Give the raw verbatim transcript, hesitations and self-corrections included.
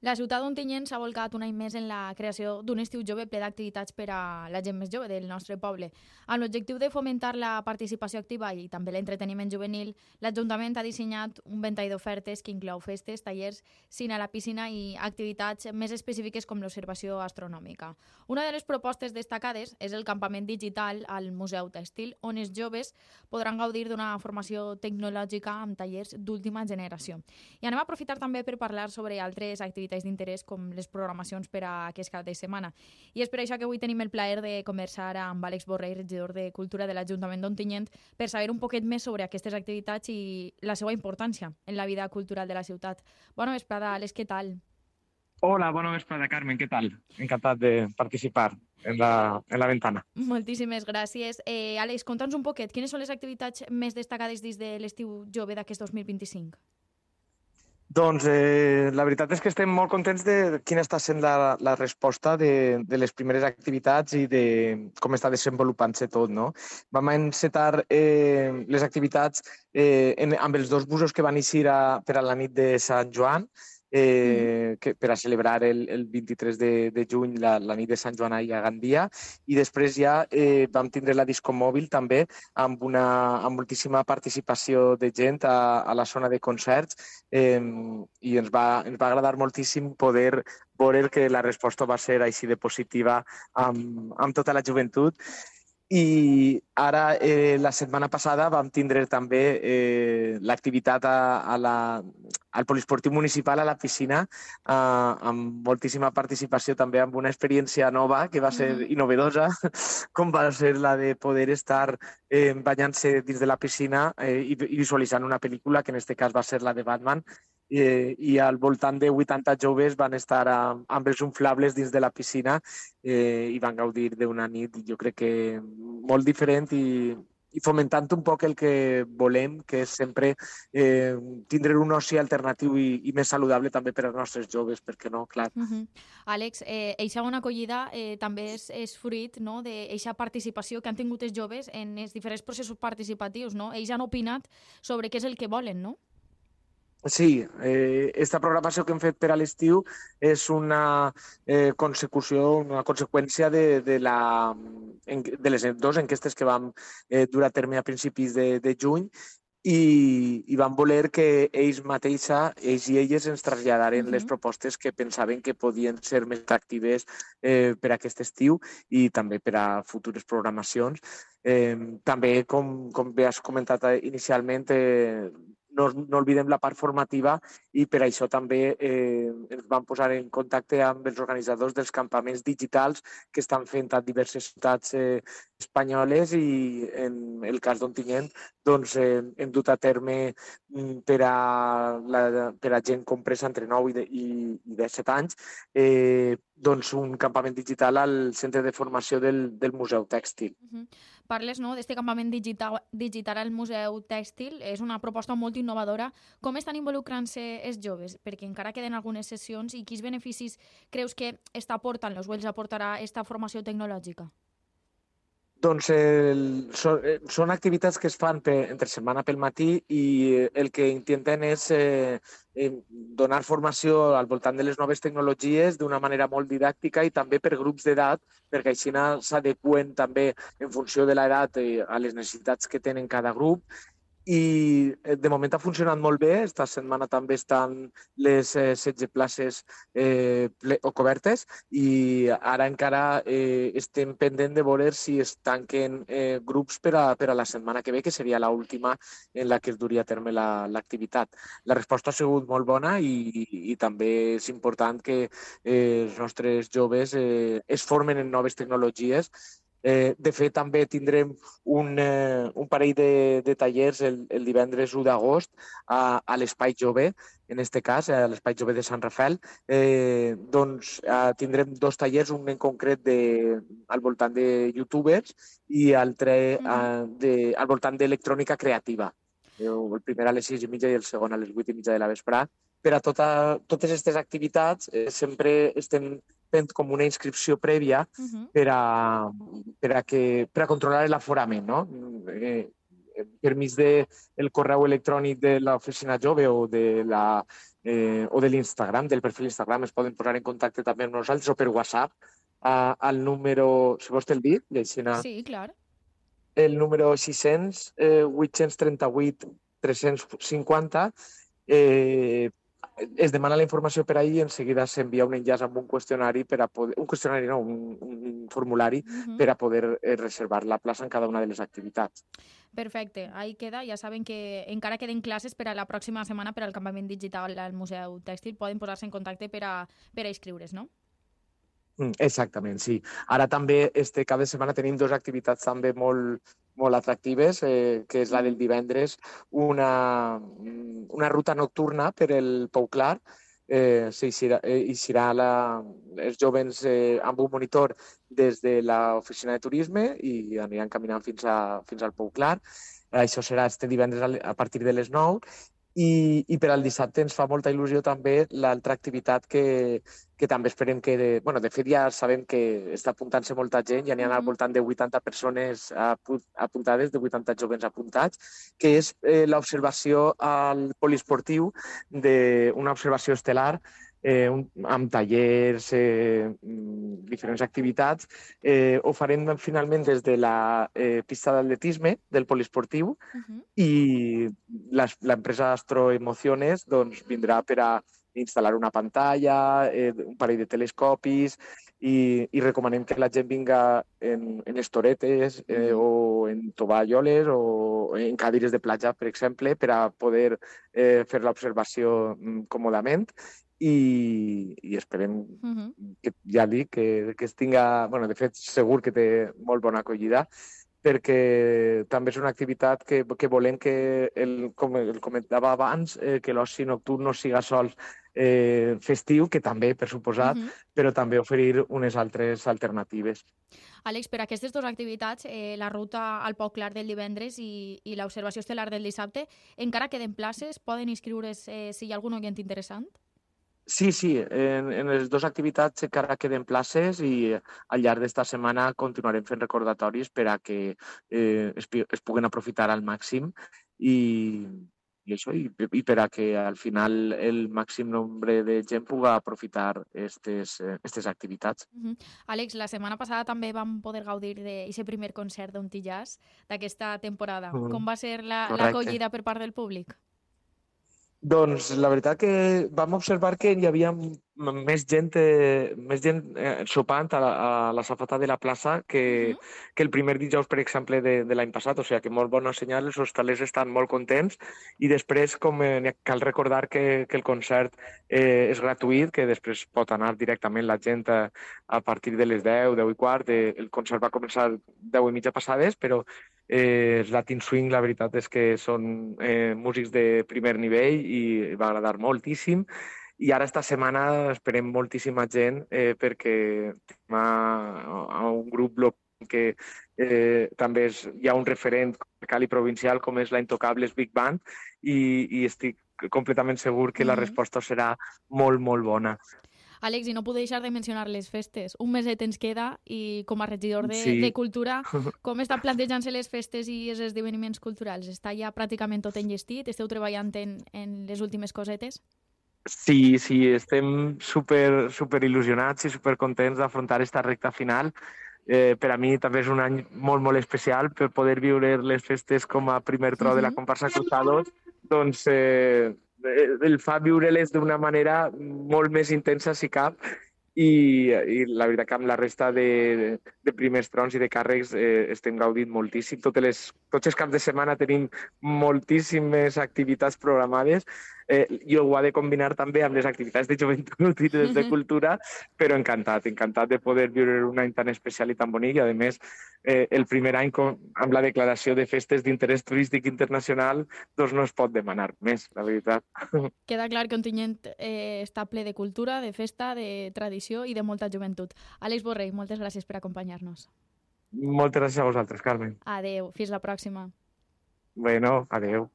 La ciutat d'Ontinyent s'ha volcat un any més en la creació d'un estiu jove ple d'activitats per a la gent més jove del nostre poble. Amb l'objectiu de fomentar la participació activa i també l'entreteniment juvenil, l'Ajuntament ha dissenyat un ventall d'ofertes que inclou festes, tallers, cine a la piscina i activitats més específiques com l'observació astronòmica. Una de les propostes destacades és el campament digital al Museu Tèxtil, on els joves podran gaudir d'una formació tecnològica amb tallers d'última generació. I anem a aprofitar també per parlar sobre altres activitats d'interès com les programacions per a aquest cap de setmana. I és per això que avui tenim el plaer de conversar amb Àlex Borrell, regidor de Cultura de l'Ajuntament d'Ontinyent, per saber un poquet més sobre aquestes activitats i la seva importància en la vida cultural de la ciutat. Bona vesprada, Àlex, què tal? Hola, bona vesprada, Carmen, què tal? Encantat de participar en la, en la ventana. Moltíssimes gràcies. Eh, Àlex, conta'ns un poquet, quines són les activitats més destacades dins de l'estiu jove d'aquest dos mil vint-i-cinc? Doncs eh, la veritat és que estem molt contents de quina està sent la, la resposta de, de les primeres activitats i de com està desenvolupant-se tot, no? Vam encetar eh, les activitats eh, en, amb els dos busos que van eixir a, per a la nit de Sant Joan, eh, que, per a celebrar el, el vint-i-tres de, de juny la, la nit de Sant Joan a Gandia, i després ja eh, vam tindre la disco mòbil també amb una amb moltíssima participació de gent a, a la zona de concerts, eh, i ens va, ens va agradar moltíssim poder veure que la resposta va ser així de positiva amb, amb tota la joventut. I ara, eh, la setmana passada, vam tindre també eh, l'activitat a, a la, al poliesportiu municipal, a la piscina, eh, amb moltíssima participació, també amb una experiència nova que va ser Mhm. i novedosa, com va ser la de poder estar eh, banyant-se dins de la piscina eh, i, i visualitzant una pel·lícula, que en aquest cas va ser la de Batman, eh, i al voltant de vuitanta joves van estar amb, amb els inflables dins de la piscina eh, i van gaudir d'una nit, jo crec que molt diferent i, i fomentant un poc el que volem, que és sempre eh, tindre un oci alternatiu i, i més saludable també per als nostres joves, perquè no, clar. Mhm. Àlex, eh, eixa bona acollida eh, també és, és fruit, no?, d'eixa participació que han tingut els joves en els diferents processos participatius, no? Ells han opinat sobre què és el que volen, no? Sí, eh, esta programació que hem fet per a l'estiu és una eh, consecució, una conseqüència de, de, la, de les dues enquestes que vam eh, dur a terme a principis de, de juny, i, i vam voler que ells mateixa, ells i elles ens traslladaren Mhm. les propostes que pensaven que podien ser més atractives eh, per a aquest estiu i també per a futures programacions. Eh, també, com, com bé has comentat inicialment, eh, no, no oblidem la part formativa, i per això també eh, ens vam posar en contacte amb els organitzadors dels campaments digitals que estan fent a diverses ciutats eh, espanyoles, i en el cas d'Ontinyent doncs, eh, hem dut a terme per a, la, per a gent compresa entre nou i, de, i, i disset anys eh, doncs un campament digital al centre de formació del, del Museu Tèxtil. Mhm. Parles, no, d'este campament digital, digital al Museu Tèxtil. És una proposta molt innovadora. Com estan involucrant-se els joves? Perquè encara queden algunes sessions, i quins beneficis creus que està aportant, els els aportarà esta formació tecnològica? Doncs el, són, són activitats que es fan per, entre setmana pel matí, i el que intenten és eh, eh, donar formació al voltant de les noves tecnologies d'una manera molt didàctica i també per grups d'edat, perquè així s'adeqüen també en funció de l'edat eh, a les necessitats que tenen cada grup. I de moment ha funcionat molt bé. Esta setmana també estan les eh, setze places eh, ple, o cobertes, i ara encara eh, estem pendent de veure si es tanquen eh, grups per a, per a la setmana que ve, que seria l'última en la que es duria a terme l'activitat. La, la resposta ha sigut molt bona, i, i, i també és important que eh, els nostres joves eh, es formen en noves tecnologies. Eh, de fet, també tindrem un, eh, un parell de, de tallers el, el divendres u d'agost a, a l'Espai Jove, en aquest cas, a l'Espai Jove de Sant Rafel. Eh, doncs eh, tindrem dos tallers, un en concret de, al voltant de youtubers i altre eh, de, al voltant d'electrònica creativa. El primer a les sis i mitja i el segon a les vuit i mitja de la vesprà. Per a tota, totes aquestes activitats eh, sempre estem fent com una inscripció prèvia Mhm. per a, per a, que, per a controlar l'aforament, no? Eh, per mig del correu electrònic de l'oficina jove o de la eh, o de l'Instagram, del perfil Instagram, es poden posar en contacte també amb nosaltres o per WhatsApp a, al número, si vols te'l dir, llegint Sí, clar. el número sis cents, eh, vuit-cents trenta-vuit, tres-cents cinquanta. Eh, es demana la informació per ahir i en seguida s'envia un enllaç amb un qüestionari per a poder, un qüestionari no, un, un formulari Uh -huh. per a poder eh, reservar la plaça en cada una de les activitats. Perfecte, ahí queda. Ja saben que encara queden classes per a la pròxima setmana per al campament digital al Museu Tèxtil. Poden posar-se en contacte per a, per a inscriure's, no? Exactament, sí. Ara també este cap de setmana tenim dues activitats també molt, molt atractives, eh, que és la del divendres, una, una ruta nocturna per el Pou Clar. Eh, s'eixirà eh, la, els joves eh, amb un monitor des de l'oficina de turisme i aniran caminant fins, a, fins al Pou Clar. Això serà este divendres a partir de les nou. I, i per al dissabte ens fa molta il·lusió també l'altra activitat que, que també esperem que... De, bueno, de fet, ja sabem que està apuntant-se molta gent, ja n'hi ha al voltant de vuitanta persones apuntades, de vuitanta joves apuntats, que és eh, l'observació al poliesportiu d'una observació estel·lar eh, un, amb tallers, eh, diferents activitats. Eh, ho farem finalment des de la eh, pista d'atletisme del poliesportiu uh -huh. i l'empresa Astro Emociones doncs, vindrà per a instal·lar una pantalla, eh, un parell de telescopis i, i recomanem que la gent vinga en, en estoretes eh, o en tovalloles o en cadires de platja, per exemple, per a poder eh, fer l'observació còmodament. I, i esperem uh -huh. que ja dic que, que es tinga, bueno, de fet segur que té molt bona acollida, perquè també és una activitat que, que volem que, el, com el comentava abans, eh, que l'oci nocturn no siga sols eh, festiu, que també, per suposat, uh -huh. però també oferir unes altres alternatives. Àlex, per aquestes dues activitats, eh, la ruta al Pou Clar del divendres i, i l'observació estel·lar del dissabte, encara queden places? Poden inscriure's eh, si hi ha algun oient interessant? Sí, sí, en, en les dues activitats encara queden places i al llarg d'esta setmana continuarem fent recordatoris per a que eh, es, es puguen aprofitar al màxim i, i això, i, i per a que al final el màxim nombre de gent puga aprofitar aquestes eh, activitats. Uh -huh. Àlex, la setmana passada també vam poder gaudir d'aquest primer concert d'un Tillàs d'aquesta temporada. Uh -huh. Com va ser l'acollida la, per part del públic? Doncs la veritat que vam observar que hi havia més gent, eh, més gent eh, sopant a la, a la safata de la plaça que, uh-huh. que el primer dijous, per exemple, de, de l'any passat. O sigui que molt bona senyal, els hostalers estan molt contents i després com eh, cal recordar que, que el concert eh, és gratuït, que després pot anar directament la gent a, a partir de les deu, deu i quart. Eh, el concert va començar deu i mitja passades, però Eh, els Latin Swing, la veritat és que són eh, músics de primer nivell i va agradar moltíssim. I ara esta setmana esperem moltíssima gent eh, perquè a, a un grup local que eh, també és, hi ha un referent local i provincial com és la Intocables Big Band i, i estic completament segur que mm-hmm. la resposta serà molt, molt bona. Àlex, i no puc deixar de mencionar les festes. Un meset ens queda i com a regidor de, sí. de Cultura, com estan plantejant-se les festes i els esdeveniments culturals? Està ja pràcticament tot enllestit? Esteu treballant en, en les últimes cosetes? Sí, sí, estem super, super il·lusionats i super contents d'afrontar esta recta final. Eh, per a mi també és un any molt, molt especial per poder viure les festes com a primer tro uh-huh. de la comparsa Cruzados. Doncs eh, el fa viure-les d'una manera molt més intensa, si cap, i, i la veritat que amb la resta de, de primers trons i de càrrecs eh, estem gaudint moltíssim. Totes les, tots els caps de setmana tenim moltíssimes activitats programades. Eh, jo ho ha de combinar també amb les activitats de joventut i de, de cultura, però encantat, encantat de poder viure un any tan especial i tan bonic i, a més, eh, el primer any com, amb la declaració de festes d'interès turístic internacional, doncs no es pot demanar més, la veritat. Queda clar que Ontinyent eh, està ple de cultura, de festa, de tradició i de molta joventut. Àlex Borrell, moltes gràcies per acompanyar-nos. Moltes gràcies a vosaltres, Carmen. Adéu, fins la pròxima. Bueno, adéu.